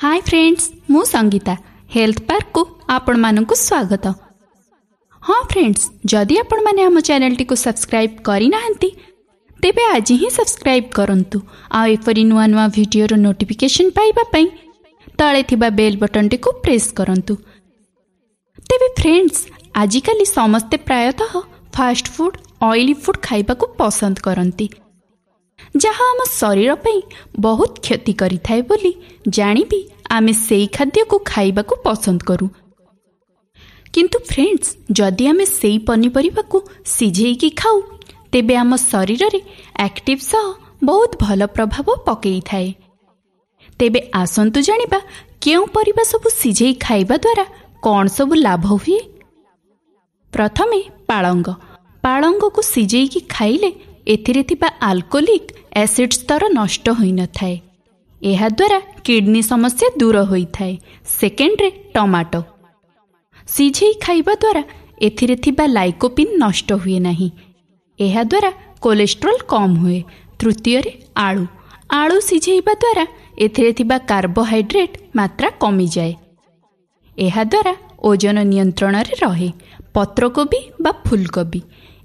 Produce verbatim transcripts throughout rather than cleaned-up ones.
High friends, ମୁଁ Sangeeta. Health ପାର୍କକୁ ଆପଣମାନଙ୍କୁ ସ୍ୱାଗତ। ହଁ ଫ୍ରେଣ୍ଡସ୍, ଯଦି ଆପଣମାନେ ଆମ ଚ୍ୟାନେଲଟିକୁ ସବସ୍କ୍ରାଇବ୍ କରିନାହାନ୍ତି, ତେବେ ଆଜି ହିଁ ସବସ୍କ୍ରାଇବ୍ କରନ୍ତୁ ଆଉ ଏପରି ନୂଆ ନୂଆ ଭିଡ଼ିଓର ନୋଟିଫିକେସନ୍ ପାଇବା ପାଇଁ ତଳେ ଥିବା ବେଲ୍ ବଟନଟିକୁ ପ୍ରେସ୍ କରନ୍ତୁ। ତେବେ ଫ୍ରେଣ୍ଡସ୍, ଆଜିକାଲି ସମସ୍ତେ ପ୍ରାୟତଃ ଫାଷ୍ଟ ଫୁଡ୍, ଅଏଲି ଫୁଡ୍ ଖାଇବାକୁ ପସନ୍ଦ କରନ୍ତି, ଯାହା ଆମ ଶରୀର ପାଇଁ ବହୁତ କ୍ଷତି କରିଥାଏ ବୋଲି ଜାଣିବି ଆମେ ସେଇ ଖାଦ୍ୟକୁ ଖାଇବାକୁ ପସନ୍ଦ କରୁ। କିନ୍ତୁ ଫ୍ରେଣ୍ଡସ୍, ଯଦି ଆମେ ସେଇ ପନିପରିବାକୁ ସିଝେଇକି ଖାଉ, ତେବେ ଆମ ଶରୀରରେ ଆକ୍ଟିଭ୍ ସହ ବହୁତ ଭଲ ପ୍ରଭାବ ପକେଇଥାଏ। ତେବେ ଆସନ୍ତୁ ଜାଣିବା କେଉଁ ପରିବା ସବୁ ସିଝେଇ ଖାଇବା ଦ୍ୱାରା କ'ଣ ସବୁ ଲାଭ ହୁଏ। ପ୍ରଥମେ ପାଳଙ୍ଗ। ପାଳଙ୍ଗକୁ ସିଝେଇକି ଖାଇଲେ ଏଥିରେ ଥିବା ଆଲକୋହଲିକ୍ ଏସିଡ୍ ସ୍ତର ନଷ୍ଟ ହୋଇନଥାଏ। ଏହାଦ୍ୱାରା କିଡନୀ ସମସ୍ୟା ଦୂର ହୋଇଥାଏ। ସେକେଣ୍ଡରେ ଟମାଟୋ। ସିଝେଇ ଖାଇବା ଦ୍ୱାରା ଏଥିରେ ଥିବା ଲାଇକୋପିନ୍ ନଷ୍ଟ ହୁଏ ନାହିଁ। ଏହାଦ୍ୱାରା କୋଲେଷ୍ଟ୍ରଲ୍ କମ୍ ହୁଏ। ତୃତୀୟରେ ଆଳୁ। ଆଳୁ ସିଝେଇବା ଦ୍ୱାରା ଏଥିରେ ଥିବା କାର୍ବୋହାଇଡ୍ରେଟ୍ ମାତ୍ରା କମିଯାଏ। ଏହାଦ୍ୱାରା ଓଜନ ନିୟନ୍ତ୍ରଣରେ ରହେ। ପତ୍ରକୋବି ବା ଫୁଲକୋବି,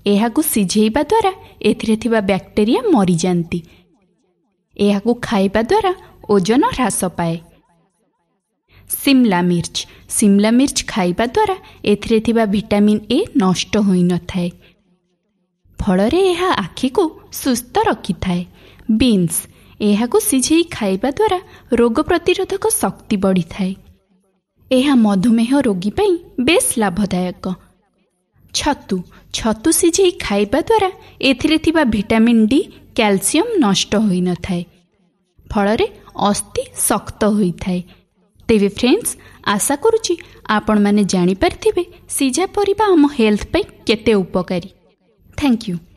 ଏହାକୁ ସିଝେଇବା ଦ୍ୱାରା ଏଥିରେ ଥିବା ବ୍ୟାକ୍ଟେରିଆ ମରିଯାଆନ୍ତି। ଏହାକୁ ଖାଇବା ଦ୍ୱାରା ଓଜନ ହ୍ରାସ ପାଏ। ସିମଲା ମିର୍ଚ। ସିମଲା ମିର୍ଚ ଖାଇବା ଦ୍ୱାରା ଏଥିରେ ଥିବା ଭିଟାମିନ୍ ଏ ନଷ୍ଟ ହୋଇନଥାଏ, ଫଳରେ ଏହା ଆଖିକୁ ସୁସ୍ଥ ରଖିଥାଏ। ବିନ୍ସ, ଏହାକୁ ସିଝେଇ ଖାଇବା ଦ୍ୱାରା ରୋଗ ପ୍ରତିରୋଧକ ଶକ୍ତି ବଢ଼ିଥାଏ। ଏହା ମଧୁମେହ ରୋଗୀ ପାଇଁ ବେଶ୍ ଲାଭଦାୟକ। ଛତୁ। ଛତୁ ସିଝେଇ ଖାଇବା ଦ୍ୱାରା ଏଥିରେ ଥିବା ଭିଟାମିନ୍ ଡି, କ୍ୟାଲସିୟମ୍ ନଷ୍ଟ ହୋଇନଥାଏ, ଫଳରେ ଅସ୍ଥି ଶକ୍ତ ହୋଇଥାଏ। ତେବେ ଫ୍ରେଣ୍ଡସ୍, ଆଶା କରୁଛି ଆପଣମାନେ ଜାଣିପାରିଥିବେ ସିଝା ପରିବା ଆମ ହେଲ୍ଥ ପାଇଁ କେତେ ଉପକାରୀ। Thank you.